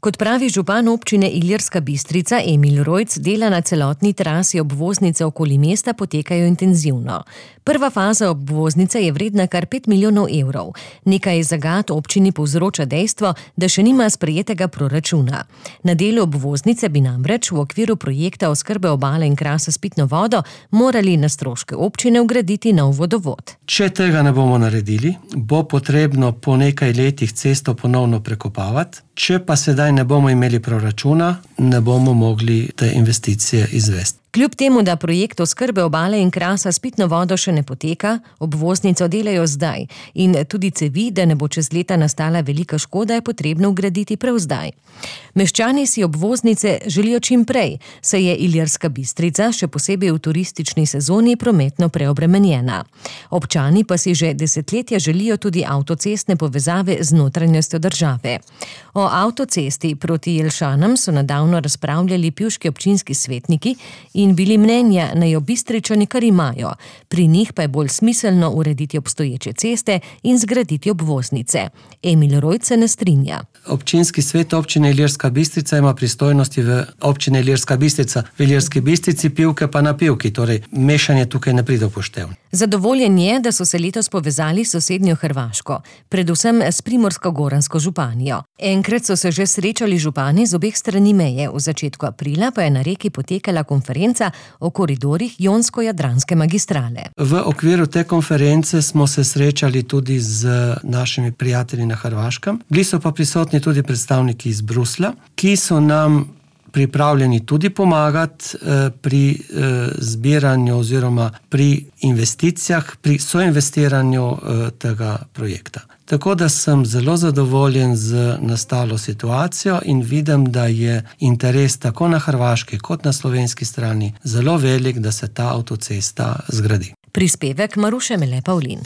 Kot pravi župan občine Ilirska Bistrica Emil Rojc, dela na celotni trasi obvoznice okoli mesta potekajo intenzivno. Prva faza obvoznice je vredna kar 5 milijonov evrov. Nekaj zagat občini povzroča dejstvo, da še nima sprejetega proračuna. Na delu obvoznice bi namreč v okviru projekta oskrbe obale in Krasa s pitno vodo morali na stroške občine vgraditi nov vodovod. Če tega ne bomo naredili, bo potrebno po nekaj letih cesto ponovno prekopavati. Če pa sedaj ne bomo imeli proračuna, ne bomo mogli te investicije izvesti. Kljub temu, da projekt oskrbe obale in Krasa s pitno vodo še ne poteka, obvoznico delajo zdaj in tudi cevi, da ne bo čez leta nastala velika škoda, je potrebno vgraditi prav zdaj. Meščani si obvoznice želijo čim prej, saj je Ilirska Bistrica, še posebej v turistični sezoni, prometno preobremenjena. Občani pa si že desetletja želijo tudi avtocestne povezave z notranjostjo države. O avtocesti proti Jelšanam so nedavno razpravljali pivški občinski svetniki in bili mnenja, naj jo Bistričani kar imajo. Pri njih pa je bolj smiselno urediti obstoječe ceste in zgraditi obvoznice. Emil Rojc se ne strinja. Občinski svet občine Ilirska Bistrica ima pristojnosti v občine Ilirska Bistrica, v Ilirski Bistrici, Pivke pa na Pivki, torej mešanje tukaj ne pride v poštev. Zadovoljen je, da so se letos povezali s sosednjo Hrvaško, predvsem s Primorsko-goransko županijo. Enkrat so se že srečali župani z obeh strani meje, v začetku aprila pa je na Reki potekala konferenca o koridorjih Jonsko-Jadranske magistrale. V okviru te konference smo se srečali tudi z našimi prijatelji na Hrvaškem. Bili so pa prisotni tudi predstavniki iz Bruslja, ki so nam pripravljeni tudi pomagati pri zbiranju oziroma pri investicijah, pri soinvestiranju tega projekta. Tako da sem zelo zadovoljen z nastalo situacijo in vidim, da je interes tako na hrvaški kot na slovenski strani zelo velik, da se ta avtocesta zgradi. Prispevek Maruše Mele Pavlin.